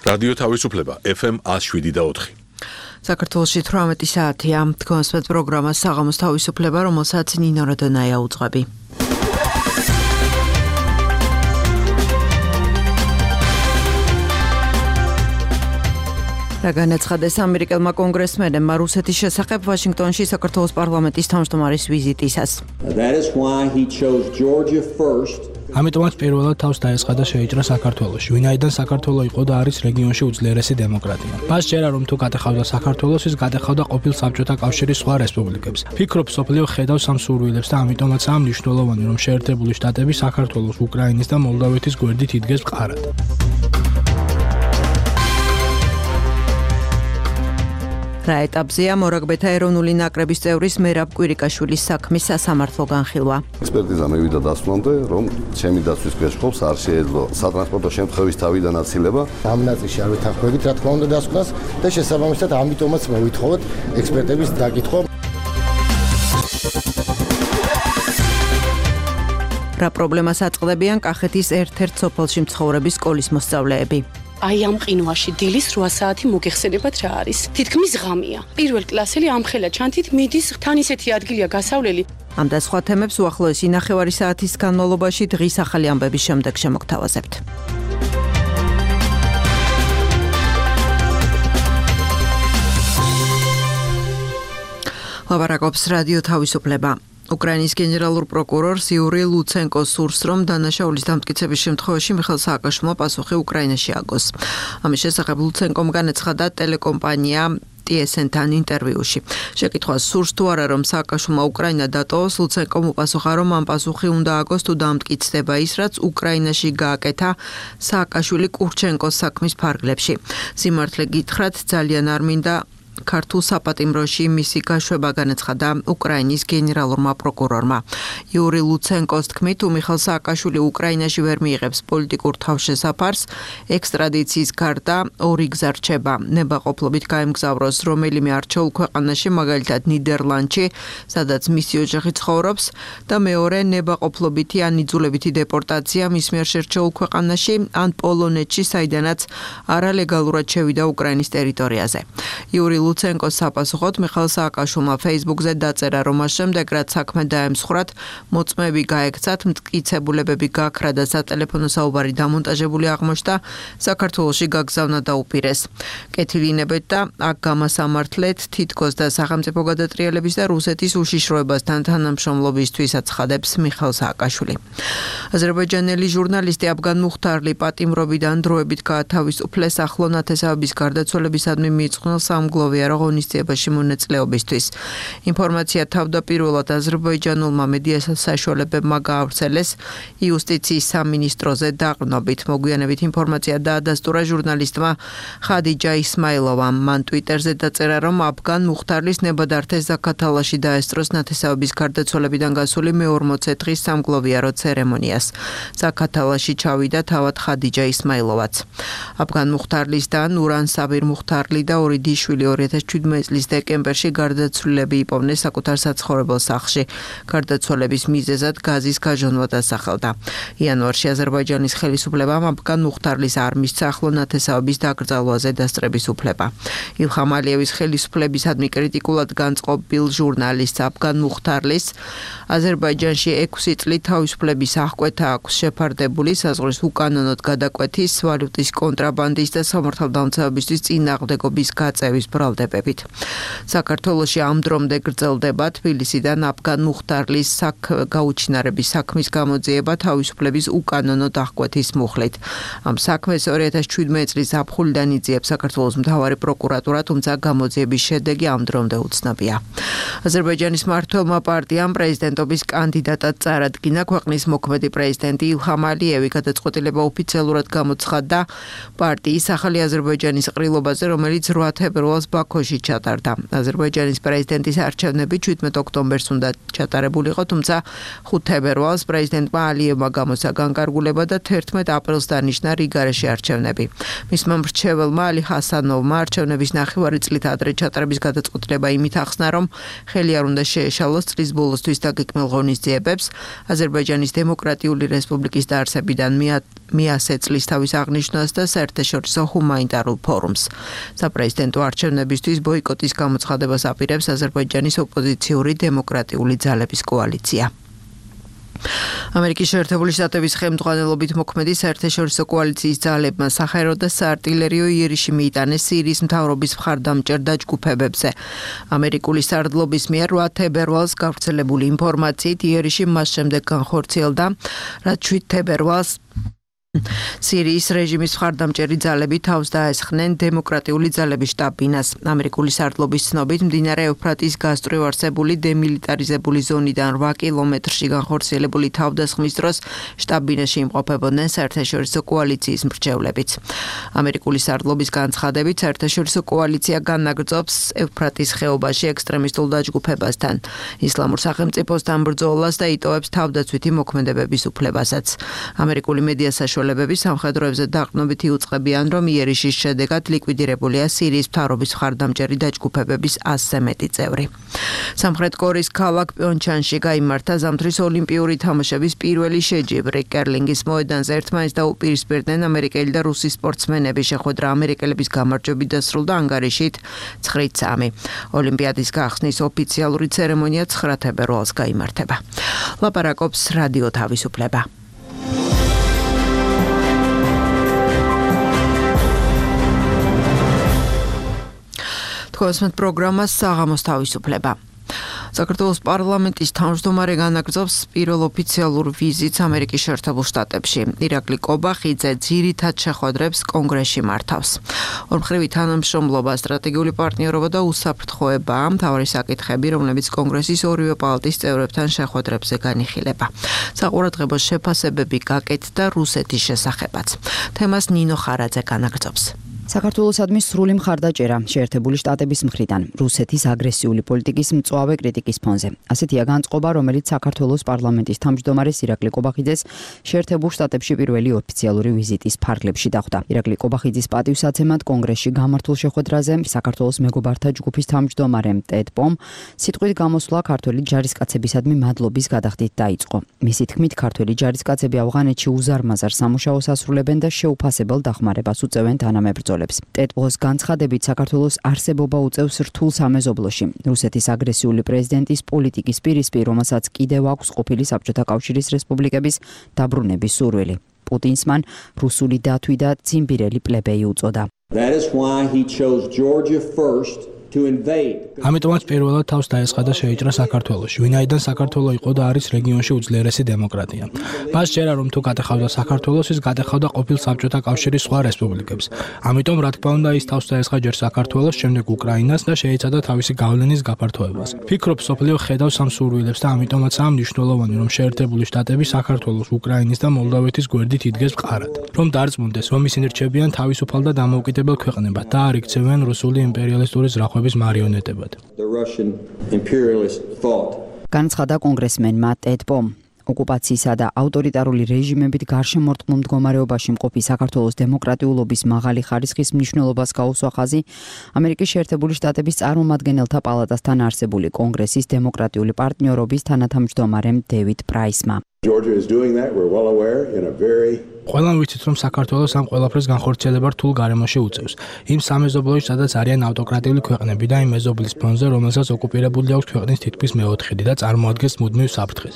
რადიო თავისუფლება FM 107.4. საქართველოში 18 საათია. თქვენს პროგრამა საღამოს თავისუფლება, რომელსაც ნინო როდონაია უძღვები. განაცხადეს ამერიკელმა კონგრესმენებმა რუსეთის შესახებ ვაშინგტონში საქართველოს პარლამენტის თავმჯდომარის ვიზიტისას. ამიტომაც პირველად თავს დაესხა და შეიჭრა საქართველოში, ვინაიდან საქართველო იყო და არის რეგიონში უძლიერესი დემოკრატია. მას ჯერა რომ თუ გატეხავდა საქართველოს, ის გატეხავდა ყოფილ საბჭოთა კავშირის სხვა რესპუბლიკებს. ფიქრობ, სოფლიო ხედავს ამ სურვილებს და ამიტომაც ამ მნიშვნელოვანი რომ შეერთებული შტატები საქართველოს, უკრაინის და მოლდოვეთის გვერდით იდგეს მყარად. რა ეტაპზეა მორაგბეთა ეროვნული ნაკრების წევრის მერაბ კვირიკაშვილის საქმის სასამართლო განხილვა. ექსპერტიზა მივიდა დასვამდე, რომ ჩემი დაცვის გაშხობს არ შეეძლო სატრანსპორტო შემთხვევის თავიდან აცილება. ამ ნაწილში არ ვეთანხმებით, რა თქმა უნდა დასკვნას და შესაბამისად ამიტომაც მოვითხოვოთ ექსპერტების დაკითხვა. რა პრობლემას აწყდებიან კახეთის ერთ-ერთ სოფელში მცხოვრები სკოლის მოსწავლეები? აი ამ ყინვაში დილის 8 საათი მოგეხსენებათ რა არის. თითქმის ღამეა. პირველ კლასელი ამხელა ჩანთით მიდის, თან ისეთი ადგილია გასავლელი. ამ და სხვა თემებს უახლოესი 9 საათის განმავლობაში დღის ახალი ამბების შემდეგ შემოგთავაზებთ. ლაპარაკობს რადიო თავისუფლება. უკრაინის გენერალურ პროკურორს იური ლუცენკოს სურს, რომ დანაშაულის დამტკიცების შემთხვევაში მიხეილ სააკაშვილმა პასუხი უკრაინაში აგოს. ამის შესახებ ლუცენკომ განაცხადა ტელეკომპანია TSN-თან ინტერვიუში. შეკითხვას სურს თუ არა რომ სააკაშვილმა უკრაინა დატოვოს, ლუცენკომ უპასუხა, რომ ამ პასუხი უნდა აგოს თუ დამტკიცდება ის, რაც უკრაინაში გააკეთა სააკაშვილი კურჩენკოს საქმის ფარგლებში. სიმართლე გითხრათ, ძალიან არ მინდა ქართულ საპატიმროში მისი გაშვება, განაცხადა უკრაინის გენერალურმა პროკურორმა. იური ლუცენკოს თქმით, თუ მიხეილ სააკაშვილი უკრაინაში ვერ მიიღებს პოლიტიკურ თავშესაფარს, ექსტრადიციის გარდა ორი გზა რჩება. ნებაყოფლობით გაემგზავროს რომელიმე არჩეულ ქვეყანაში, მაგალითად ნიდერლანდში, სადაც მისი ოჯახი ცხოვრობს, და მეორე ნებაყოფლობითი ან იძულებითი დეპორტაცია მის მიერ შერჩეულ ქვეყანაში ან პოლონეთში, საიდანაც არალეგალურად შევიდა უკრაინის ტერიტორიაზე. იური ლუცენკოს საპასუხოდ მიხეილ სააკაშვილმა Facebook-ზე დაწერა, რომ მას შემდეგ, რაც საქმე დაემსხვრათ, მოწმეები გაექცათ, მტკიცებულებები გაქრა და სატელეფონო საუბარი დამონტაჟებული აღმოჩნდა, საქართველოში გაგზავნა დაუპირეს. კეთილინებეთ და აქ გამასამართლეთ თითქოს და სახელმწიფო გადატრიალების და რუსეთის უშიშროებასთან თანამშრომლობისთვის აცხადებს მიხეილ სააკაშვილი. აზერბაიჯანელი ჟურნალისტი აფგან მუხთარლი პატიმრობიდან დროებით გაათავისუფლეს ახლო ნათესავების გარდაცვალებისადმი მიიწვნილ სამგლოვიარო ღონისძიებაში მონაწილეობისთვის. ინფორმაცია თავდაპირველად აზერბაიჯანულმა მედია საშუალებებმა გაავრცელეს იუსტიციის სამინისტროზე დაყრდნობით. მოგვიანებით ინფორმაცია დაადასტურა ჟურნალისტმა ხადიჯა ისმაილოვამ. მან ტვიტერზე დაწერა, რომ აფგან მუხთარლის ნებადართეს ზაქათალაში დაესწროს ნათესავების გარდაცვალებიდან გასული მე-40 დღის სამგლოვიარო ცერემონიას. ზაქათალაში ჩავიდა თავად ხადიჯა ისმაილოვაც. აფგან მუხთარლის და ნურან საბირ მუხთარლი და ორი შვილი 2017 წლის დეკემბერში გარდაცვლილები იპოვნეს საკუთარ საცხოვრებელ სახლში. გარდაცვალების მიზეზად გაზის გაჟონვა დასახელდა. იანვარში აზერბაიჯანის ხელისუფლებამ აფგან მუხთარლის არ მისცა ახლო ნათესავების დაკრძალვაზე დასწრების უფლება. ილჰამ ალიევის ხელისუფლებისადმი კრიტიკულად განწყობილ ჟურნალისტს აფგან მუხთარლის აზერბაიჯანში 6 წლით თავისუფლების აღკვეთა აქვს შეფარდებული საზღვრის უკანონოდ გადაკვეთის, ვალუტის კონტრაბანდის და სამართალდამცავებისთვის წინააღმდეგობის გაწევის ბრალდებებით. საქართველოში ამ დრომდე გრძელდება თბილისიდან აფგან მუხთარლის გაუჩინარების საქმის გამოძიება თავისუფლების უკანონო აღკვეთის მუხლით. ამ საქმეს 2017 წლის ზაფხულიდან იძიებს საქართველოს მთავარი პროკურატურა, თუმცა გამოძიების შედეგი ამ დრომდე უცნობია. აზერბაიჯანის მმართველმა პარტიამ პრეზიდენტობის კანდიდატად წარადგინა ქვეყნის მოქმედი პრეზიდენტი ილჰამ ალიევი. გადაწყვეტილება ოფიციალურად გამოცხადდა პარტიის ახალი აზერბაიჯანის ყრილობაზე, რომელიც 8 თებერვალს ბაქოში ჩატარდა. აზერბაიჯანის პრეზიდენტის არჩევნები 17 ოქტომბერს უნდა ჩატარებულიყო, თუმცა 5 თებერვალს პრეზიდენტმა ალიევმა გამოსცა განკარგულება და 11 აპრილს დანიშნა რიგარეში არჩევნები. მისმა მრჩეველმა ალი ჰასანოვმა არჩევნების ნახევარი წლით ადრე ჩატარების გადაწყვეტილება იმით ახსნა, რომ ხელი არ უნდა შეეშალოს წლის ბოლოსთვის დაგეგმილ ღონისძიებებს. აზერბაიჯანის დემოკრატიული რესპუბლიკის დაარსებიდან მიასე წლის თავის აღნიშვნას და საერთაშორისო ჰუმანიტარულ ფორუმს. საპრეზიდენტო არჩევნებისთვის ბოიკოტის გამოცხადებას აპირებს აზერბაიჯანის ოპოზიციური დემოკრატიული ძალების კოალიცია. ამერიკის შეერთებული შტატების ხელმძღვანელობით მოქმედი საერთაშორისო კოალიციის ძალებმა საჰაერო და საარტილერიო იერიში მიიტანეს სირიის მთავრობის მხარდამჭერ დაჯგუფებებზე. ამერიკული სარდლობის მიერ 8 თებერვალს გავრცელებული ინფორმაციით იერიში მას შემდეგ განხორციელდა, რაც 7 თებერვალს სირიის რეჟიმის მხარდამჭერი ძალები თავს დაესხნენ დემოკრატიული ძალების შტაბ-ბინას. ამერიკული სარდლობის ცნობით მდინარე ევფრატის გასწვრივ არსებული დემილიტარიზებული ზონიდან 8 კილომეტრში განხორციელებული თავდასხმის დროს შტაბ-ბინაში იმყოფებოდნენ საერთაშორისო კოალიციის მრჩევლებიც. ამერიკული სარდლობის განცხადებით საერთაშორისო კოალიცია განაგრძობს ევფრატის ხეობაში ექსტრემისტულ დაჯგუფებასთან, ისლამურ სახელმწიფოსთან ბრძოლას და იტოვებს თავდაცვითი მოქმედებების უფლებასაც. ამერიკული მედია საშუალებები სამხედროებზე დაყრდნობით იუწყებიან, რომ იერიშის შედეგად ლიკვიდირებულია სირიის მთავრობის მხარდამჭერი დაჯგუფებების 100-ზე მეტი წევრი. სამხრეთ კორეის ქალაქ პიონჩანში გაიმართა ზამთრის ოლიმპიური თამაშების პირველი შეჯიბრი. კერლინგის მოედანზე ერთმანეთს დაუპირისპირდნენ ამერიკელი და რუსი სპორტსმენები. შეხვედრა ამერიკელების გამარჯვებით დასრულდა ანგარიშით 9-3. ოლიმპიადის გახსნის ოფიციალური ცერემონია 9 თებერვალს გაიმართება. ლაპარაკობს რადიო თავისუფლება. თქვენს პროგრამას საღამოს თავისუფლება. საქართველოს პარლამენტის თავმჯდომარე განაგრძობს პირველ ოფიციალურ ვიზიტს ამერიკის შეერთებულ შტატებში. ირაკლი კობახიძე ძირითად შეხვედრებს კონგრესში მართავს. ორმხრივი თანამშრომლობა, სტრატეგიული პარტნიორობა და უსაფრთხოება მთავარი საკითხები, რომლებიც კონგრესის ორივე პალატის წევრებთან შეხვედრებზე განიხილება. საყურადღებო შეფასებები გაკეთდა რუსეთის შესახებაც. თემას ნინო ხარაძე განაგრძობს. საქართველოსადმი სრული მხარდაჭერა შეერთებული შტატების მხრიდან რუსეთის აგრესიული პოლიტიკის მწვავე კრიტიკის ფონზე. ასეთია განწყობა, რომელიც საქართველოს პარლამენტის თავმჯდომარეს ირაკლი კობახიძეს შეერთებულ შტატებში პირველი ოფიციალური ვიზიტის ფარგლებში დახვდა. ირაკლი კობახიძის პატივსაცემად კონგრესში გამართულ შეხვედრაზე საქართველოს მეგობართა ჯგუფის თავმჯდომარემ ტედ პომ სიტყვით გამოსვლა ქართველი ჯარისკაცებისადმი მადლობის გადახდით დაიწყო. მისი თქმით, ქართველი ჯარისკაცები ავღანეთში უზარმაზარ სამუშაოს ასრულებენ და შეუფასებელ დახმარებას უწევენ თანამებრძოლებს. ტეტ-პოს განცხადებით საქართველოს არსებობა უწევს რთულ სამეზობლოში. რუსეთის აგრესიული პრეზიდენტის პოლიტიკის პირისპირ, რომელსაც კიდევ აქვს ყოფილი საბჭოთა კავშირის რესპუბლიკების დაბრუნების სურვილი. პუტინს მან რუსული დათვი და ციმბირელი პლებეი უწოდა. That is why he chose Georgia first to invade. ამიტომაც პირველად თავს დაესხა და შეიჭრა საქართველოში, ვინაიდან საქართველო იყო და არის რეგიონში უძლიერესი დემოკრატია. მას ჯერა რომ თუ გატეხავდა საქართველოს, ის გატეხავდა ყოფილ საბჭოთა კავშირის სხვა რესპუბლიკებს. ამიტომ რა თქმა უნდა ის თავს დაესხა ჯერ საქართველოს, შემდეგ უკრაინას და შეეცადა თავისი გავლენის გაფართოებას. ფიქრობ, სოფლიო ხედავს ამ სურვილებს და ამიტომაც ამ მნიშვნელოვანი რომ შეერთებული შტატები საქართველოს, უკრაინის და მოლდოვეთის გვერდით იდგეს მყარად. რომ დარწმუნდეს, რომ ისინი რჩებიან თავისუფალ და დამოუკიდებელ ქვეყნებად და არ იქცევენ რუსული იმპერიალისტური ზრახვების მარიონეტებად. The Russian imperialist thought. განცხადა კონგრესმენმა ტედ პომ. ოკუპაციისა და ავტორიტარული რეჟიმებით გარშემორტყმულ მდგომარეობაში მყოფი საქართველოს დემოკრატიულობის მაღალი ხარისხის მნიშვნელობას გაუსვა ხაზი ამერიკის შეერთებული შტატების წარმომადგენელთა პალატასთან არსებული კონგრესის დემოკრატიული პარტნიორობის თანათავმჯდომარემ დევიდ პრაისმა. Georgia is doing that, we're well aware, in a very ყველამ ვიცით, რომ საქართველოს ამ ყველაფრის განხორციელება რთულ გარემოში უწევს. იმ სამეზობლოში, სადაც არიან ავტოკრატიული ქვეყნები და იმ მეზობლის ფონზე, რომელსაც ოკუპირებული აქვს ქვეყნის თითქმის მეოთხედი და წარმოადგენს მუდმივ საფრთხეს.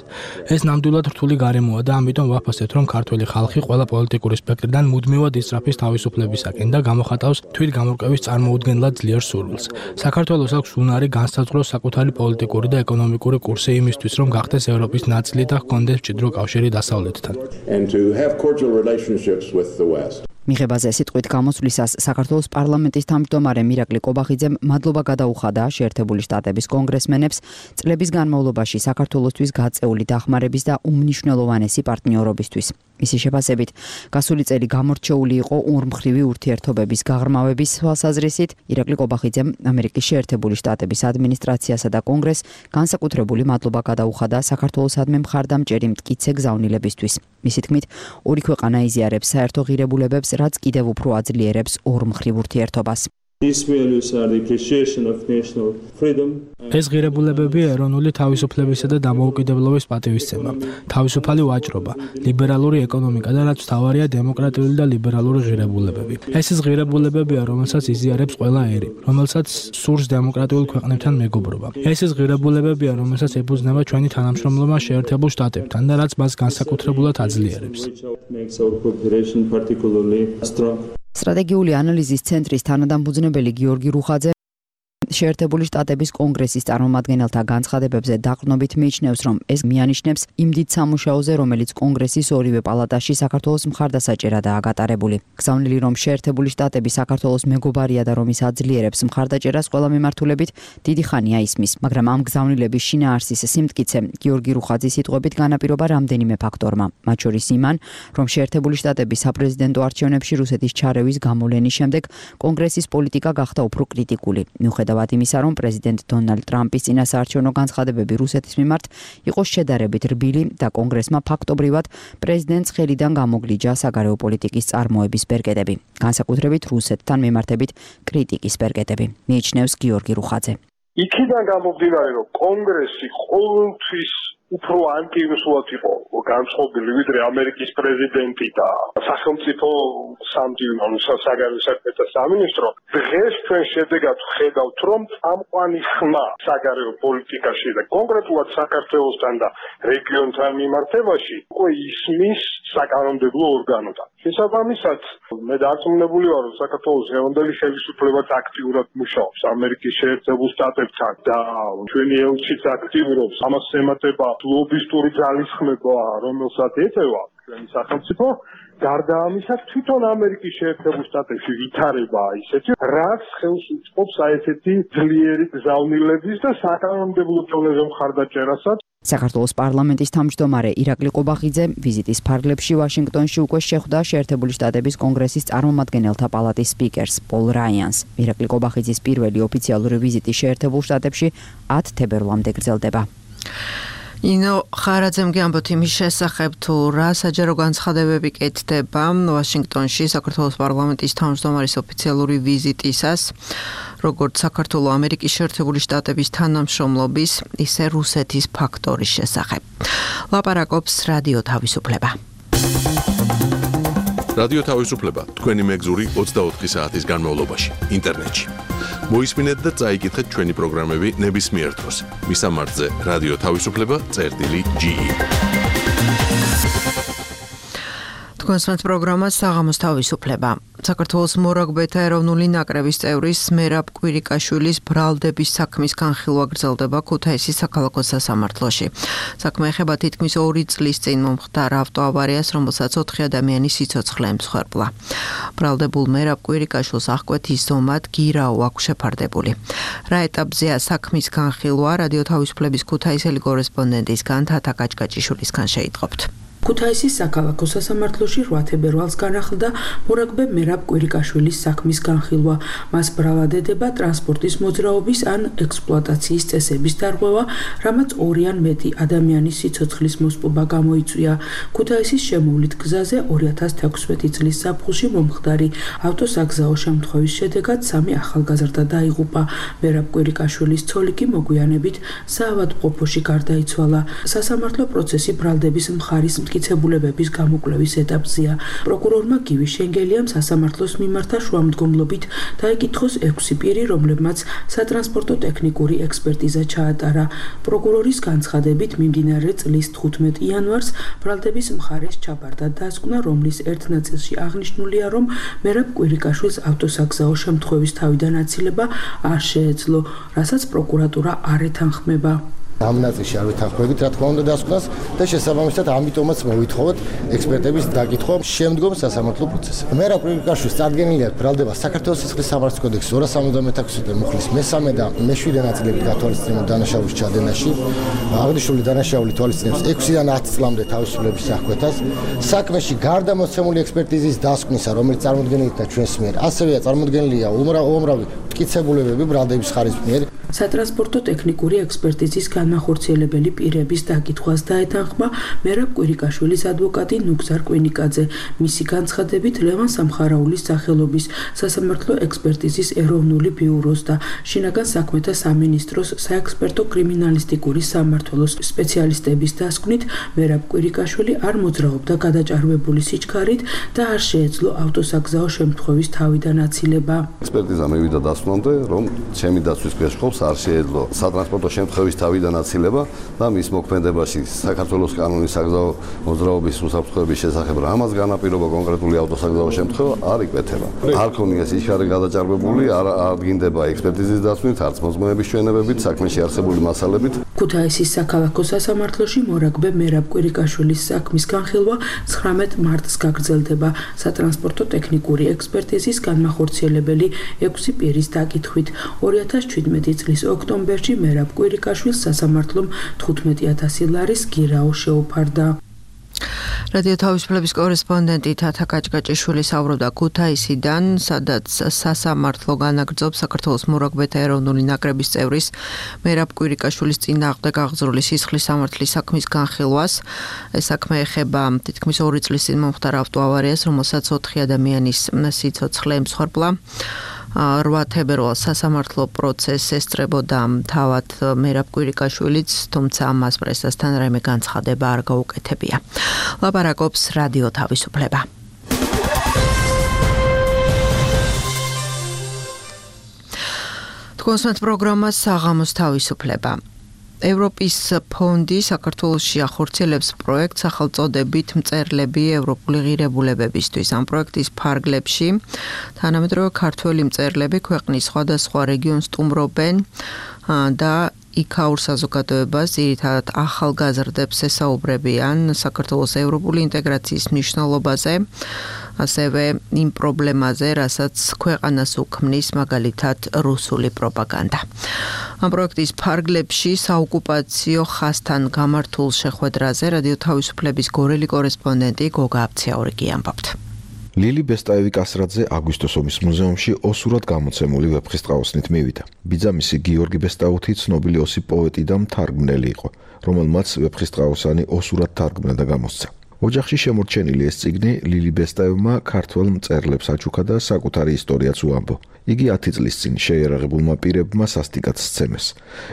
ეს ნამდვილად რთული გარემოა და ამიტომ ვაფასებთ, რომ ქართველი ხალხი ყველა პოლიტიკური სპექტრიდან მუდმივად ისწრაფის თავისუფლებისაკენ და გამოხატავს თვითგამორკვევის წარმოუდგენლად ძლიერ სურვილს. საქართველოს აქვს უნარი განსაზღვროს საკუთარი პოლიტიკური და ეკონომიკური კურსი იმისთვის, რომ გახდეს ევროპის ნაწილი და ჰქონდეს მჭიდრო კავშირი დასავლეთთან. and to have cordial relationships with the West. მიღებაზე სიტყვით გამოსვლისას საქართველოს პარლამენტის თავმჯდომარე მირაკლი კობახიძემ მადლობა გადაუხადა შეერთებული შტატების კონგრესმენებს წლების განმავლობაში საქართველოსთვის გაწეული დახმარების და უმნიშვნელოვანესი პარტნიორობისთვის. მისი შეფასებით, გასული წელი გამორჩეული იყო ორმხრივი ურთიერთობების გაღრმავების თვალსაზრისით. ირაკლი კობახიძემ ამერიკის შეერთებული შტატების ადმინისტრაციასა და კონგრესს განსაკუთრებული მადლობა გადაუხადა საქართველოსადმი მხარდამჭერი მტკიცე გზავნილებისთვის. მისი თქმით, ორი ქვეყანა იზიარებს საერთო ღირებულებებს, რაც კიდევ უფრო აძლიერებს ორმხრივ ურთიერთობას. ეს ღირებულებები ეროვნული თავისუფლებისა და დამოუკიდებლობის პატივისცემა, თავისუფალი ვაჭრობა, ლიბერალური ეკონომიკა და რაც მთავარია დემოკრატიული და ლიბერალური ღირებულებები. ეს ის ღირებულებებია, რომელსაც იზიარებს ყველა ერი, რომელსაც სურს დემოკრატიულ ქვეყნებთან მეგობრობა. ეს ის ღირებულებებია, რომელსაც ეფუძნება ჩვენი თანამშრომლობა შეერთებულ შტატებთან და რაც მას განსაკუთრებულად აძლიერებს. სტრატეგიული ანალიზის ცენტრის თანადამფუძნებელი გიორგი რუხაძე შეერთებული შტატების კონგრესის წარმომადგენელთა განცხადებებზე დაყრდნობით მიიჩნევს, რომ ეს მიანიშნებს იმ დიდ სამუშაოზე, რომელიც კონგრესის ორივე პალატაში საქართველოს მხარდასაჭერადაა გატარებული. გზავნილი, რომ შეერთებული შტატები საქართველოს მეგობარია და რომ ის აძლიერებს მხარდაჭერას ყველა მიმართულებით, დიდი ხანია ისმის, მაგრამ ამ გზავნილების შინაარსის სიმტკიცე გიორგი რუხაძის სიტყვებით განაპირობა რამდენიმე ფაქტორმა, მათ შორის იმან, რომ შეერთებული შტატები საპრეზიდენტო არჩევნებში რუსეთის ჩარევის გამოვლენის შემდეგ კონგრესის პოლიტიკა გახდა უფრო კრიტიკული. მიუხედავად იმისა, რომ პრეზიდენტ დონალდ ტრამპის წინასაარჩევნო განცხადებები რუსეთის მიმართ იყო შედარებით რბილი და კონგრესმა ფაქტობრივად პრეზიდენტს ხელიდან გამოგლიჯა საგარეო პოლიტიკის წარმოების ბერკეტები, განსაკუთრებით რუსეთთან მიმართებით კრიტიკის ბერკეტები, მიიჩნევს გიორგი რუხაძე. იქიდან გამომდინარე, რომ კონგრესი ყოველთვის უფრო ანტირუსულად იყო განწყობილი, ვიდრე ამერიკის პრეზიდენტი და სახელმწიფო საგარეო საქმეთა სამინისტრო. დღეს ჩვენ შედეგად ვხედავთ, რომ წამყვანი ხმა საგარეო პოლიტიკაში და კონკრეტულად საქართველოსთან და რეგიონთან მიმართებაში უკვე ისმის საკანონმდებლო ორგანოდან. შესაბამისად, მე დარწმუნებული ვარ, რომ საქართველოს დღევანდელი ხელისუფლებაც აქტიურად მუშაობს ამერიკის შეერთებულ შტატებთან და ჩვენი ელჩიც აქტიურობს. ამას ემატება ლობისტური ძალისხმება, რომელსაც ეწევა ჩვენი სახელმწიფო. გარდა ამისა, თვითონ ამერიკის შეერთებულ შტატებში ვითარებაა ისეთი, რაც ხელს უწყობს ესეთი ძლიერი გზავნილების და საკანონმდებლო დონეზე მხარდაჭერასაც. საქართველოს პარლამენტის თავმჯდომარე ირაკლი კობახიძე ვიზიტის ფარგლებში ვაშინგტონში უკვე შეხვდა შეერთებული შტატების კონგრესის წარმომადგენელთა პალატის სპიკერს პოლ რაიანს. ირაკლი კობახიძის პირველი ოფიციალური ვიზიტი შეერთებულ შტატებში 10 თებერვლამდე გრძელდება. ინო ხარაძემ გიამბოთ იმის შესახებ, თუ რა საჯარო განცხადებები კეთდება ვაშინგტონში საქართველოს პარლამენტის თავმჯდომარის ოფიციალური ვიზიტისას, როგორც საქართველოს ამერიკის შეერთებული შტატების თანამშრომლობის, ისე რუსეთის ფაქტორის შესახებ. ლაპარაკობს რადიო თავისუფლება. რადიო თავისუფლება თქვენი მეგზური 24 საათის განმავლობაში ინტერნეტში. მოისმინეთ და წაიკითხეთ ჩვენი პროგრამები ნებისმიერ დროს. მისამართზე რადიო თავისუფლება.ge. თქვენს პროგრამას საღამოს თავისუფლება. საქართველოს მორაგბეთა ეროვნული ნაკრების წევრის მერაბ კვირიკაშვილის ბრალდების საქმის განხილვა გრძელდება ქუთაისის საქალაქო სასამართლოში. საქმე ეხება თითქმის 2 წლის წინ მომხდარ ავტოავარიას, რომელსაც 4 ადამიანის სიცოცხლე ემსხვერპლა. ბრალდებულ მერაბ კვირიკაშვილს აღკვეთის ზომად გირაო აქვს შეფარდებული. რა ეტაპზეა საქმის განხილვა, რადიო თავისუფლების ქუთაისელი კორესპონდენტისგან თათა კაჭკაჭიშვილისგან შეიტყობთ. ქუთაისის საქალაქო სასამართლოში 8 თებერვალს განახლდა მორაგბე მერაბ კვირიკაშვილის საქმის განხილვა. მას ბრალადდება ტრანსპორტის მოძრაობის ან ექსპლუატაციის წესების დარღვევა, რამაც 2 ან მეტი ადამიანის სიცოცხლის მოსპობა გამოიწვია. ქუთაისის შემოვლით გზაზე 2016 წლის ზაფხულში მომხდარი ავტოსაგზაო შემთხვევის შედეგად 3 ახალგაზრდა დაიღუპა. მერაბ კვირიკაშვილის ცოლი კი მოგვიანებით საავადმყოფოში გარდაიცვალა. სასამართლო პროცესი ბრალდების მხარის მტკიცებულებების გამოკვლევის ეტაპზეა. პროკურორმა გივი შენგელიამ სასამართლოს მიმართა შუამდგომლობით დაიკითხოს 6 პირი, რომლებმაც სატრანსპორტო ტექნიკური ექსპერტიზა ჩაატარა. პროკურორის განცხადებით მიმდინარე წლის 15 იანვარს ბრალდების მხარეს ჩაბარდა დასკვნა, რომლის ერთ ნაწილში აღნიშნულია, რომ მერაბ კვირიკაშვილს ავტოსაგზაო შემთხვევის თავიდან აცილება არ შეეძლო, რასაც პროკურატურა არ ეთანხმება. ამ ნაწილში არ ვითანხმებით, რა თქმა უნდა, დასკვნას და შესაბამისად ამიტომაც მოვითხოვოთ ექსპერტების დაკითხვა შემდგომ სასამართლო პროცესში. მერაბ კვირიკაშვილს წარდგენილი აქვს ბრალდება საქართველოს სისხლის სამართლის კოდექსის 276-ე მუხლის მე-3 და მე-7 ნაწილები გათვალისწინებულ დანაშაულის ჩადენაში. აღნიშნული დანაშაული თვალისწინებს 6-დან 10 წლამდე თავისუფლების აღკვეთას. საქმეში გარდა მოსცემული ექსპერტიზის დასკვნისა, რომელიც წარმოდგენილია ჩვენს მიერ, ასევეა წარმოდგენილია უამრავი მტკიცებულებები ბრალდების ხარის მიერ. სატრანსპორტო ტექნიკური ექსპერტიზის განმახორციელებელი პირების დაკითხვას დაეთანხმა მერაბ კვირიკაშვილის ადვოკატი ნუგზარ კვინიკაძე. მისი განცხადებით, ლევან სამხარაულის სახელობის სასამართლო ექსპერტიზის ეროვნული ბიუროს და შინაგან საქმეთა სამინისტროს საექსპერტო კრიმინალისტიკური სამმართველოს სპეციალისტების დასკვნით, მერაბ კვირიკაშვილი არ მოძრაობდა გადაჭარბებული სიჩქარით და არ შეეძლო ავტოსაგზაო შემთხვევის თავიდან აცილება. ექსპერტიზა მივიდა დასკვნამდე, რომ ჩემი დაცვის გაშხოვს არ შეეძლო სატრანსპორტო შემთხვევის თავიდან აცილება და მის მოქმედებაში საქართველოს კანონის საგზაო მოძრაობის უსაფრთხოების შესახებ რამაც განაპირობა კონკრეტული ავტოსაგზაო შემთხვევა არ იკვეთება. არ ქონია სიჩქარე გადაჭარბებული, არ დგინდება ექსპერტიზის დაცვით, არც მოწმოების ჩვენებებით, საქმეში არსებული მასალებით. ქუთაისის საქალაქო სასამართლოში მორაგბე მერაბ კვირიკაშვილის საქმის განხილვა 19 მარტს გაგრძელდება სატრანსპორტო ტექნიკური ექსპერტიზის განმახორციელებელი 6 პირის დაკითხვით. 2017 წლის ოქტომბერში მერაბ კვირიკაშვილს სასამართლომ 15,000 ლარის გირაო შეუფარდა. რადიო თავისუფლების კორესპონდენტი თათა კაჭკაჭიშვილი საუბრობდა ქუთაისიდან, სადაც სასამართლო განაგრძობს საქართველოს მორაგბეთა ეროვნული ნაკრების წევრის მერაბ კვირიკაშვილის წინააღმდეგ აღძრული სისხლის სამართლის საქმის განხილვას. ეს საქმე ეხება თითქმის 2 წლის წინ მომხდარ ავტოავარიას, რომელსაც 4 ადამიანის სიცოცხლე ემსხვერპლა. 8 თებერვალს სასამართლო პროცესს ესწრებოდა თავად მერაბ კვირიკაშვილიც, თუმცა მას პრესასთან რაიმე განცხადება არ გაუკეთებია. ლაპარაკობს რადიო თავისუფლება. თქვენს პროგრამას საღამოს თავისუფლება. ევროპის ფონდი საქართველოში ახორციელებს პროექტს სახელწოდებით მწერლები ევროპული ღირებულებებისთვის. ამ პროექტის ფარგლებში თანამედროვე ქართველი მწერლები ქვეყნის სხვადასხვა რეგიონს სტუმრობენ და იქაურ საზოგადოებას ძირითადად ახალგაზრდებს ესაუბრებიან საქართველოს ევროპული ინტეგრაციის მნიშვნელობაზე, ასევე იმ პრობლემაზე, რასაც ქვეყანას უქმნის მაგალითად რუსული პროპაგანდა. ამ პროექტის ფარგლებში საოკუპაციო ხაზთან გამართულ შეხვედრაზე რადიო თავისუფლების გორელი კორესპონდენტი გოგა აბციაურიგი ამბობთ. ლილი ბესტაევი კასრაძე აგვისტოს ომის მუზეუმში ოსურად გამოცემული ვეფხისტყაოსნით მივიდა. ბიძამისი გიორგი ბესტაუთი ცნობილი ოსი პოეტი და მთარგმნელი იყო, რომელმაც ვეფხისტყაოსანი ოსურად თარგმნა და გამოსცა. ოჯახში შემორჩენილი ეს წიგნი ლილი ბესტაევმა ქართველ მწერლებს აჩუქა და საკუთარი ისტორიაც უამბო. იგი 10 წლის წინ შეიარაღებულმა პირებმა სასტიკად სცემეს.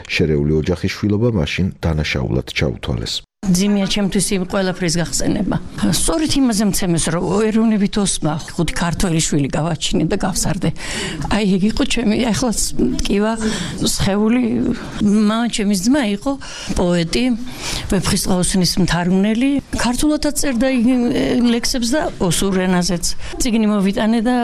შერეული ოჯახის შვილობა მაშინ დანაშაულად ჩაუთვალეს. ძიმია ჩემთვის იმ ყველაფრის გახსენება. სწორედ იმაზე მცემეს, რომ ეროვნებით ოსმა 5 ქართველი შვილი გავაჩინე და გავსარდე. აი ეგ იყო ჩემი ახლაც ტკივა სხეული. მამა ჩემის ძმა იყო პოეტი, ვეფხისტყაოსნის მთარგმნელი. ქართულადაც წერდა ლექსებს და ოსურ ენაზეც. წიგნი მოვიტანე და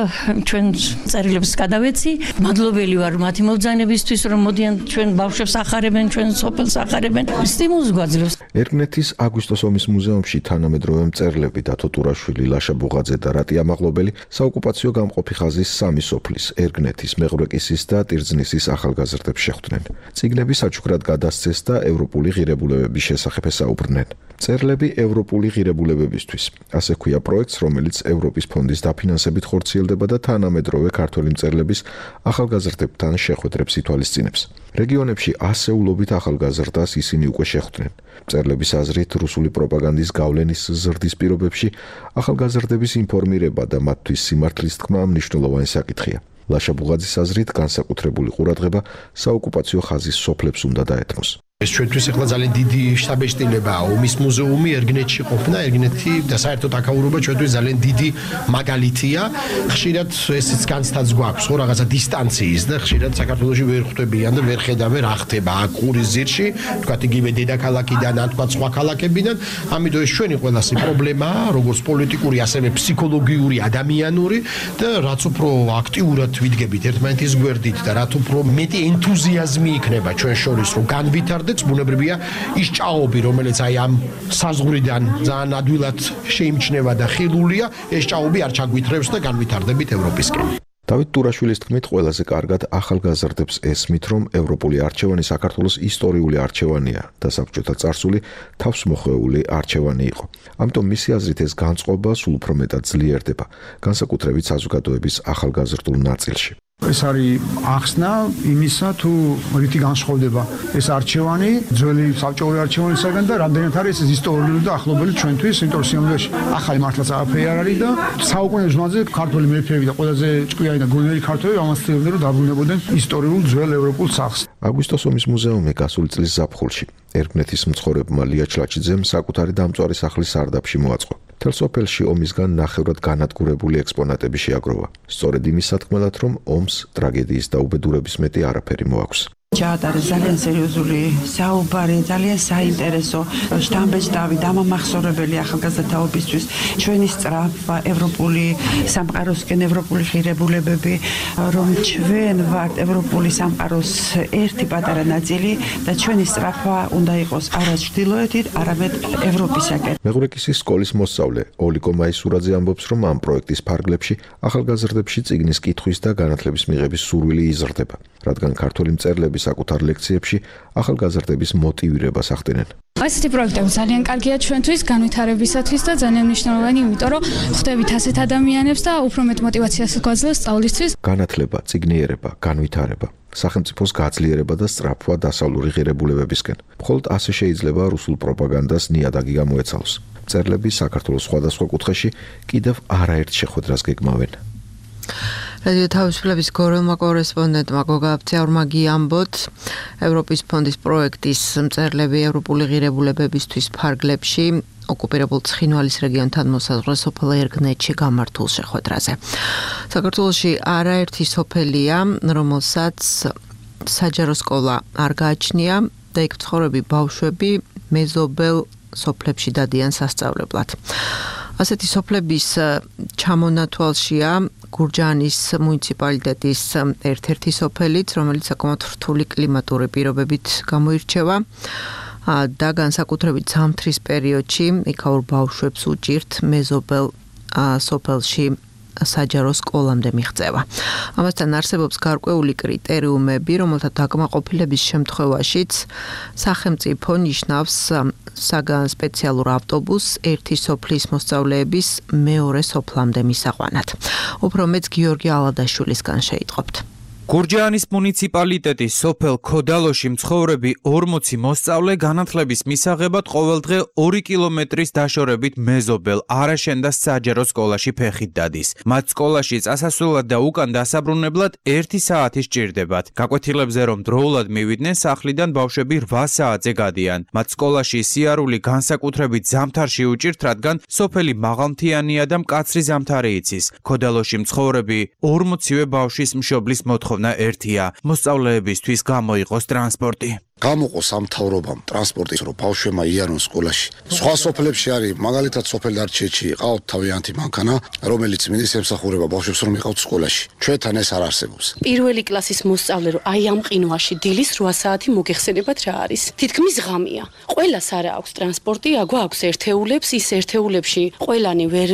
ჩვენ წერილებს გადავეცი. მადლობელი ვარ მათი მობრძანებისთვის, რომ მოდიან ჩვენ ბავშვებს ახარებენ, ჩვენ სოფელს ახარებენ. სტიმულს გვაძლევს. ერგნეთის აგვისტოს ომის მუზეუმში თანამედროვე მწერლები დათო ტურაშვილი, ლაშა ბუღაძე და რატი ამაღლობელი საოკუპაციო გამყოფი ხაზის 3 სოფლის, ერგნეთის, მეღვრეკისის და ტირძნისის ახალგაზრდებს შეხვდნენ. წიგნები საჩუქრად გადასცეს და ევროპული ღირებულებების შესახებ ესაუბრნენ. მწერლები ევროპული ღირებულებებისთვის. ასე ქვია პროექტს, რომელიც ევროპის ფონდის დაფინანსებით ხორციელდება და თანამედროვე ქართველი მწერლების ახალგაზრდებთან შეხვედრებს ითვალისწინებს. რეგიონებში ასეულობით ახალგაზრდას ისინი უკვე შეხვდნენ. მწერლების აზრით, რუსული პროპაგანდის გავლენის ზრდის პირობებში ახალგაზრდების ინფორმირება და მათთვის სიმართლის თქმა მნიშვნელოვანი საკითხია. ლაშა ბუღაძის აზრით, განსაკუთრებული ყურადღება საოკუპაციო ხაზის სოფლებს უნდა დაეთმოს. ეს ჩვენთვის ახლა ძალიან დიდი შთაბეჭდილებაა. ომის მუზეუმი ერგნეთში ყოფნა, ერგნეთი და საერთოდ აკაურობა ჩვენთვის ძალიან დიდი მაგალითია. ხშირად ესეც განცდაც გვაქვს, ხო, რაღაცა დისტანციის და ხშირად საქართველოში ვერ ხვდებიან და ვერ ხედავენ რა ხდება აქ ყურის ძირში, თქვათ იგივე დედაქალაქიდან, ან თქვათ სხვა ქალაქებიდან. ამიტომ ეს ჩვენი ყველასი პრობლემაა, როგორც პოლიტიკური, ასევე ფსიქოლოგიური, ადამიანური და რაც უფრო აქტიურად ვიდგებით ერთმანეთის გვერდით და რაც უფრო მეტი ენთუზიაზმი იქნება ჩვენ შორის, რომ განვითარდეთ, კონტექსტს ბუნებრივია ის ჭაობი, რომელიც აი ამ საზღვრიდან ძალიან ადვილად შეიმჩნევა და ხილულია, ეს ჭაობი არ ჩაგვითრევს და განვითარდებით ევროპისკენ. დავით ტურაშვილის თქმით, ყველაზე კარგად ახალგაზრდებს ესმით, რომ ევროპული არჩევანი საქართველოს ისტორიული არჩევანია და საბჭოთა წარსული თავს მოხვეული არჩევანი იყო. ამიტომ მისი აზრით ეს განწყობა სულ უფრო მეტად ძლიერდება, განსაკუთრებით საზოგადოების ახალგაზრდულ ნაწილში. ეს არის ახსნა იმისა, თუ რითი განსხვავდება ეს არჩევანი ძველი საბჭოური არჩევანისაგან და რამდენად არის ეს ისტორიული და ახლობელი ჩვენთვის, იმიტომ რომ სიამოვნებაში ახალი მართლაც არაფერი არ არის და საუკუნეების მანძილზე ქართველი მეფეები და ყველაზე ჭკვიანი და გონიერი ქართველები ამას ცდილობდნენ, რომ დაბრუნებოდნენ ისტორიულ ძველ ევროპულ სახლს. აგვისტოს ომის მუზეუმი გასული წლის ზაფხულში ერგნეთის მცხოვრებმა ლია ჩლაჩიძემ საკუთარი დამწვარი სახლის სარდაფში მოაწყო. მთელ სოფელში ომისგან ნახევრად განადგურებული ექსპონატები შეაგროვა. სწორედ იმის სათქმელად, რომ ომს ტრაგედიის და უბედურების მეტი არაფერი მოაქვს. ჩაატარეს ძალიან სერიოზული საუბარი, ძალიან საინტერესო შთამბეჭდავი დამამახსოვრებელი ახალგაზრდაობისთვის ჩვენი სწრაფვა ევროპული სამყაროსკენ, ევროპული ღირებულებები, რომ ჩვენ ვართ ევროპული სამყაროს ერთი პატარა ნაწილი და ჩვენი სწრაფვა უნდა იყოს არა ჩრდილოეთით, არამედ ევროპისაკენ. მეღურეკისის სკოლის მოსწავლე ოლიკო მაისურაძე ამბობს, რომ ამ პროექტის ფარგლებში ახალგაზრდებში წიგნის კითხვის და განათლების მიღების სურვილი იზრდება, რადგან ქართველი მწერლები საკუთარ ლექციებში ახალგაზრდების მოტივირებას ახდენენ. ასეთი პროექტები ძალიან კარგია ჩვენთვის, განვითარებისათვის და ძალიან მნიშვნელოვანი, იმიტომ რომ ხვდებით ასეთ ადამიანებს და უფრო მეტ მოტივაციას გვაძლევს სწავლისთვის. განათლება, წიგნიერება, განვითარება, სახელმწიფოს გაძლიერება და სწრაფვა დასავლური ღირებულებებისკენ. მხოლოდ ასე შეიძლება რუსულ პროპაგანდას ნიადაგი გამოეცალოს. მწერლები საქართველოს სხვადასხვა კუთხეში კიდევ არაერთ შეხვედრას გეგმავენ. რადიო თავისუფლების გორელმა კორესპონდენტმა გოგა აბციაურმა გიამბოთ, ევროპის ფონდის პროექტის მწერლები ევროპული ღირებულებებისთვის ფარგლებში ოკუპირებულ ცხინვალის რეგიონთან მოსაზღვრე სოფელ ერგნეთში გამართულ შეხვედრაზე. საქართველოში არაერთი სოფელია, რომელსაც საჯარო სკოლა არ გააჩნია და იქ მცხოვრები ბავშვები მეზობელ სოფლებში დადიან სასწავლებლად. ასეთი სოფლების ჩამონათვალშია გურჯაანის მუნიციპალიტეტის ერთ-ერთი სოფელიც, რომელიც საკმაოდ რთული კლიმატური პირობებით გამოირჩევა და განსაკუთრებით ზამთრის პერიოდში იქაურ ბავშვებს უჭირთ მეზობელ სოფელში საჯარო სკოლამდე მიღწევა. ამასთან არსებობს გარკვეული კრიტერიუმები, რომელთა დაკმაყოფილების შემთხვევაშიც სახელმწიფო ნიშნავს საგან სპეციალურ ავტობუსს ერთი სოფლის მოსწავლეების მეორე სოფლამდე მისაყვანად. უფრო მეც გიორგი ალადაშვილისგან შეიტყობთ. გურჯაანის მუნიციპალიტეტის სოფელ ქოდალოში მცხოვრები 40 მოსწავლე განათლების მისაღებად ყოველდღე 2 კილომეტრის დაშორებით მეზობელ არაშენდა საჯარო სკოლაში ფეხით დადის. მათ სკოლაში წასასვლელად და უკან დასაბრუნებლად 1 საათი სჭირდებათ. გაკვეთილებზე რომ დროულად მივიდნენ, სახლიდან ბავშვები 8 საათზე გადიან. მათ სკოლაში სიარული განსაკუთრებით ზამთარში უჭირთ, რადგან სოფელი მაღალმთიანია და მკაცრი ზამთარი იცის. ქოდალოში მცხოვრები 40-ვე ბავშვის მშობლის მოთხოვნა ერთია, მოსწავლეებისთვის გამოიყოს ტრანსპორტი. გამოყო სამთავრობამ ტრანსპორტის, რომ ბავშვებმა იარონ სკოლაში. სხვა სოფლებში არის, მაგალითად სოფელ დარჩეთში ყავთ თავიანთი მანქანა, რომელიც მიდის ემსახურება ბავშვებს, რომ იყავთ სკოლაში. ჩვენთან ეს არ არსებობს. პირველი კლასის მოსწავლე რომ აი ამ ყინვაში დილის 8 საათი მოგეხსენებათ რა არის. თითქმის ღამეა. ყველას არა აქვს ტრანსპორტი, აქვს ერთეულებს, ის ერთეულებში ყველანი ვერ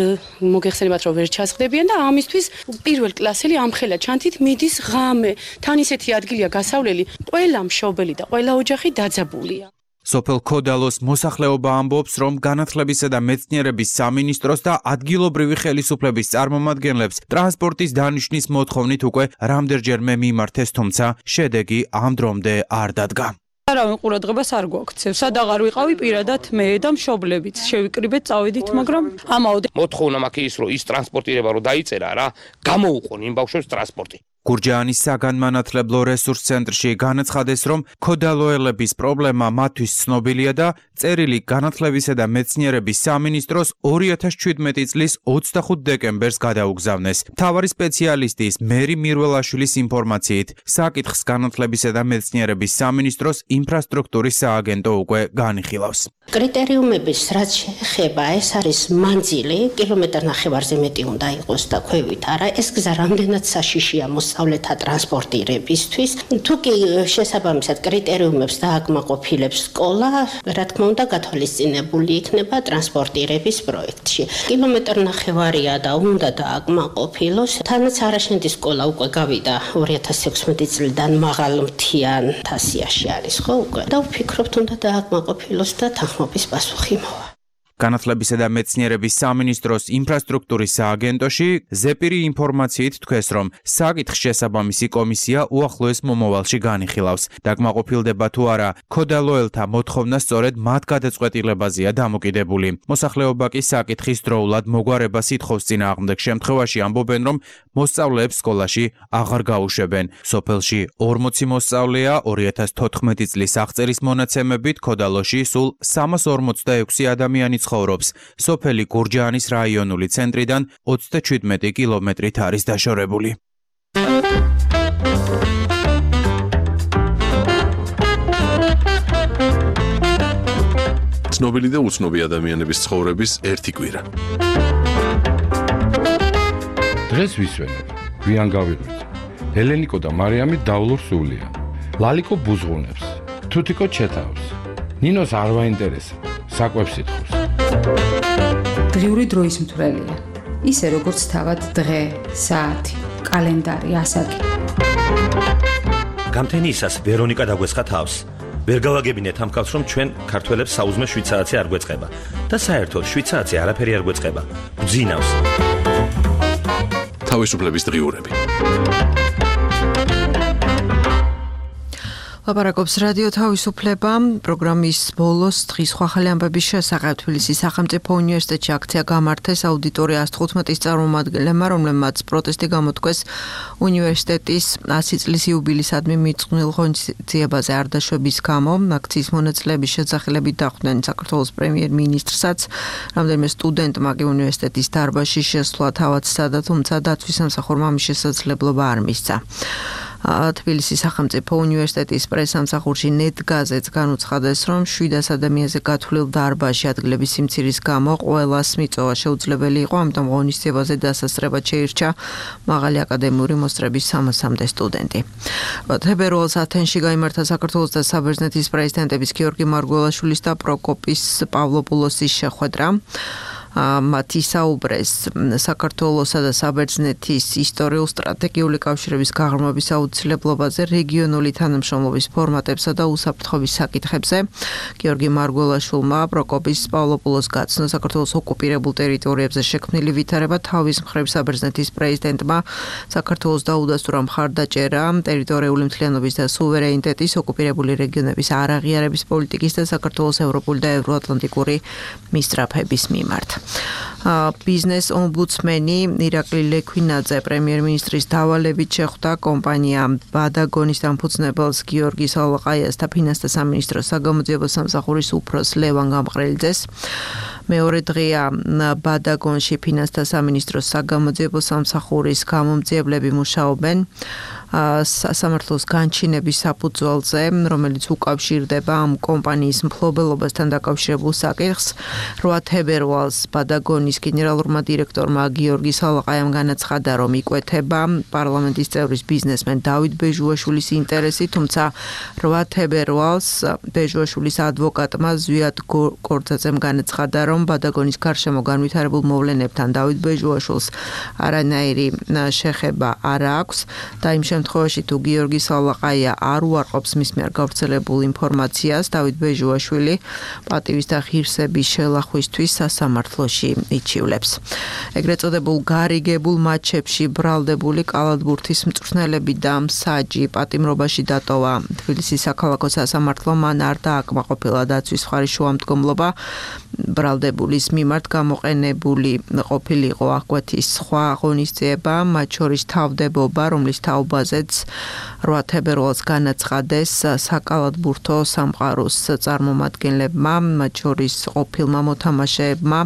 მოგეხსენებათ რომ ვერ ჩასხდებიან და ამისთვის პირველ კლასელი ამხელა ჩანთით მიდის ღამე. თან ისეთი ადგილია გასავლელი, ყველა მშობელი და ყველა ოჯახი დაძაბულია. სოფელ ქოდალოს მოსახლეობა ამბობს, რომ განათლებისა და მეცნიერების სამინისტროს და ადგილობრივი ხელისუფლების წარმომადგენლებს ტრანსპორტის დანიშვნის მოთხოვნით უკვე რამდენჯერმე მიმართეს, თუმცა შედეგი ამ დრომდე არ დადგა. არავინ ყურადღებას არ გვაქცევს. სად აღარ ვიყავი პირადად მე და მშობლებიც. შევიკრიბეთ, წავედით, მაგრამ ამაოდ მოთხოვნა მაქვს ის, რომ ის ტრანსპორტირება რომ დაიწერა რა, გამოუყონ იმ ბავშვებს ტრანსპორტი. გურჯაანის საგანმანათლებლო რესურს ცენტრში განაცხადეს, რომ ქოდალოელების პრობლემა მათთვის ცნობილია და წერილი განათლებისა და მეცნიერების სამინისტროს 2017 წლის 25 დეკემბერს გადაუგზავნეს. მთავარი სპეციალისტის მერი მირველაშვილის ინფორმაციით, საკითხს განათლებისა და მეცნიერების სამინისტროს ინფრასტრუქტურის სააგენტო უკვე განიხილავს. კრიტერიუმების რაც შეეხება, ეს არის მანძილი, კილომეტრ ნახევარზე მეტი უნდა იყოს და ქვევით არა. ეს გზა რამდენად საშიშია მოსწავლეთა ტრანსპორტირებისთვის. თუ კი შესაბამისად კრიტერიუმებს დააკმაყოფილებს სკოლა, რა თქმა უნდა, გათვალისწინებული იქნება ტრანსპორტირების პროექტში. კილომეტრნახევარია და უნდა დააკმაყოფილოს. თანაც არაშენდის სკოლა უკვე გავიდა 2016 წლიდან მაღალმთიან თასიაში არის, ხო უკვე. და ვფიქრობთ, უნდა დააკმაყოფილოს და თანხმობის პასუხი მოვა. განათლებისა და მეცნიერების სამინისტროს ინფრასტრუქტურის სააგენტოში ზეპირი ინფორმაციით თქვეს, რომ საკითხს შესაბამისი კომისია უახლოეს მომავალში განიხილავს. დაკმაყოფილდება თუ არა ქოდალოელთა მოთხოვნა სწორედ მათ გადაწყვეტილებაზეა დამოკიდებული. მოსახლეობა კი საკითხის დროულად მოგვარებას ითხოვს წინააღმდეგ შემთხვევაში ამბობენ, რომ მოსწავლეებს სკოლაში აღარ გაუშვებენ. სოფელში 40 მოსწავლეა 2014 წლის აღწერის მონაცემებით ქოდალოში სულ 346 ადამიანი ცხოვრობს. სოფელი გურჯაანის რაიონული ცენტრიდან 37 კილომეტრით არის დაშორებული. ცნობილი და უცნობი ადამიანების ცხოვრების ერთი კვირა. დღეს ვისვენებ, გვიან გავიღვიძე. ელენიკო და მარიამი დავლურ სულია. ლალიკო ბუზღუნებს, თუთიკო ჩეთავს. ნინოს არ ვაინტერესებს, საკვებს ითხოვს. დღიური დროის მთვრელია. ისე როგორც თავად დღე, საათი, კალენდარი, ასაკი. გამთენიისას ვერონიკა დაგვესხა თავს. ვერ გავაგებინეთ ამ ხალხს, რომ ჩვენ ქართველებს საუზმე 7 საათი არ გვეწყება და საერთოდ 7 საათი არაფერი არ გვეწყება. გძინავს. თავისუფლების დღიურები. ლაპარაკობს რადიო თავისუფლება. პროგრამის ბოლოს დღის ხალხი ამბების შესახებ თბილისის სახელმწიფო უნივერსიტეტში აქცია გამართეს აუდიტორია 115-ის წარმომადგენლებმა, რომლებმაც პროტესტი გამოთქვეს უნივერსიტეტის 100 წლის იუბილეისადმი მიწყვნილ ღონისძიებაზე არ დაშვების გამო. აქციის მონაწილეების შესახელებით დახვდნენ საქართველოს პრემიერ-მინისტრსაც, რამდენიმე სტუდენტმა კი უნივერსიტეტის დარბაზში შესვლა თავად სცადა, თუმცა დაცვის სამსახურმა ამის შესაძლებლობა არ მისცა. თბილისის სახელმწიფო უნივერსიტეტის პრესსამსახურში ნეტგაზეთს განუცხადეს, რომ 700 ადამიანზე გათვლილ დარბაზში ადგილების სიმცირის გამო ყველას მიწოვა შეუძლებელი იყო, ამიტომ ღონისძიებაზე დასასწრებად შეირჩა მაღალი აკადემიური მოსწრების 300-მდე სტუდენტი. თებერვალს ათენში გაიმართა საქართველოს და საბერძნეთის პრეზიდენტების გიორგი მარგველაშვილის და პროკოპის პავლოპულოსის შეხვედრა. მათი საუბრეს საქართველოსა და საბერძნეთის ისტორიულ-სტრატეგიული კავშირების გაღრმავების აუცილებლობაზე, რეგიონული თანამშრომლობის ფორმატებსა და უსაფრთხოების საკითხებზე. გიორგი მარგველაშვილმა პროკოპის პავლოპულოს გაცნო საქართველოს ოკუპირებულ ტერიტორიებზე შექმნილი ვითარება, თავის მხრივ საბერძნეთის პრეზიდენტმა საქართველოს დაუდასტურა მხარდაჭერა ტერიტორიული მთლიანობის და სუვერენიტეტის, ოკუპირებული რეგიონების არაღიარების პოლიტიკის და საქართველოს ევროპული და ევროატლანტიკური მისწრაფების მიმართ. ბიზნეს ომბუდსმენი ირაკლი ლექვინაძე პრემიერ-მინისტრის დავალებით შეხვდა კომპანია ბადაგონის დამფუძნებელს გიორგი სალაყაიას და ფინანსთა სამინისტროს საგამოძიებო სამსახურის უფროსს ლევან გამყრელიძეს. მეორე დღეა ბადაგონში ფინანსთა სამინისტროს საგამოძიებო სამსახურის გამომძიებლები მუშაობენ სასამართლოს განჩინების საფუძველზე, რომელიც უკავშირდება ამ კომპანიის მფლობელობასთან დაკავშირებულ საკითხს. 8 თებერვალს ბადაგონის გენერალურმა დირექტორმა გიორგი სალაყაიამ განაცხადა, რომ იკვეთება პარლამენტის წევრის ბიზნესმენ დავით ბეჟუაშვილის ინტერესი, თუმცა 8 თებერვალს ბეჟუაშვილის ადვოკატმა ზვიად გორძაძემ განაცხადა, რომ ბადაგონის გარშემო განვითარებულ მოვლენებთან დავით ბეჟუაშვილს არანაირი შეხება არ აქვს და იმ შემთხვევაში თუ გიორგი სალაყაია არ უარყოფს მის მიერ გავრცელებულ ინფორმაციას, დავით ბეჟუაშვილი პატივის და ღირსების შელახვისთვის სასამართლოში იჩივლებს. ეგრეთ წოდებულ გარიგებულ მატჩებში ბრალდებული კალათბურთის მწვრთნელები და მსაჯი პატიმრობაში დატოვა. თბილისის საქალაქო სასამართლომ მან არ დააკმაყოფილა დაცვის მხარის შუამდგომლობა. ბრალდებულის მიმართ გამოყენებული ყოფილიყო აღკვეთი სხვა ღონისძიება, მათ შორის თავდებობა, რომლის თაობაზეც 8 თებერვალს განაცხადეს საკალათბურთო სამყაროს წარმომადგენლებმა, მათ შორის ყოფილმა მოთამაშეებმა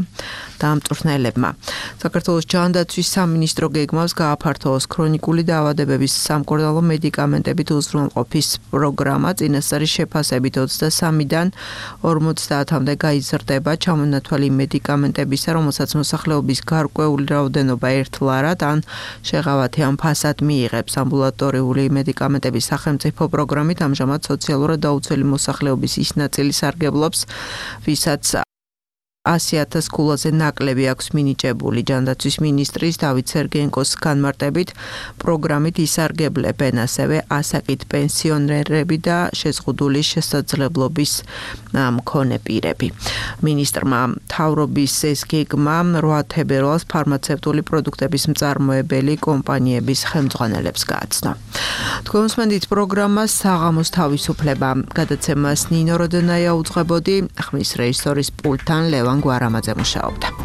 და მწვრთნელებმა. საქართველოს ჯანდაცვის სამინისტრო გეგმავს გააფართოვოს ქრონიკული დაავადებების სამკურნალო მედიკამენტებით უზრუნველყოფის პროგრამა. წინასწარი შეფასებით 23-დან 50-მდე გაიზრდება ჩამონათვალი მედიკამენტებისა, რომელსაც მოსახლეობის გარკვეული რაოდენობა ერთლარად ან შეღავათი ან ფასად მიიღებს. ამბულატორიული მედიკამენტების სახელმწიფო პროგრამით ამჟამად სოციალურად დაუცველი მოსახლეობის ის ნაწილი სარგებლობს, ვისაც 100,000 კულაზე ნაკლები აქვს მინიჭებული. ჯანდაცვის მინისტრის დავით სერგენკოს განმარტებით პროგრამით ისარგებლებენ ასევე ასაკით პენსიონერები და შეზღუდული შესაძლებლობის მქონე პირები. მინისტრმა მთავრობის ეს გეგმა 8 თებერვალს ფარმაცევტული პროდუქტების მწარმოებელი კომპანიების ხელმძღვანელებს გააცნო. თქვენსმენდით პროგრამა საღამოს თავისუფლება. გადაცემას ნინო როდენაია უძღვებოდი, ხმის რეჟისორის პულტთან ლევან გვარამაძე მუშაობდა.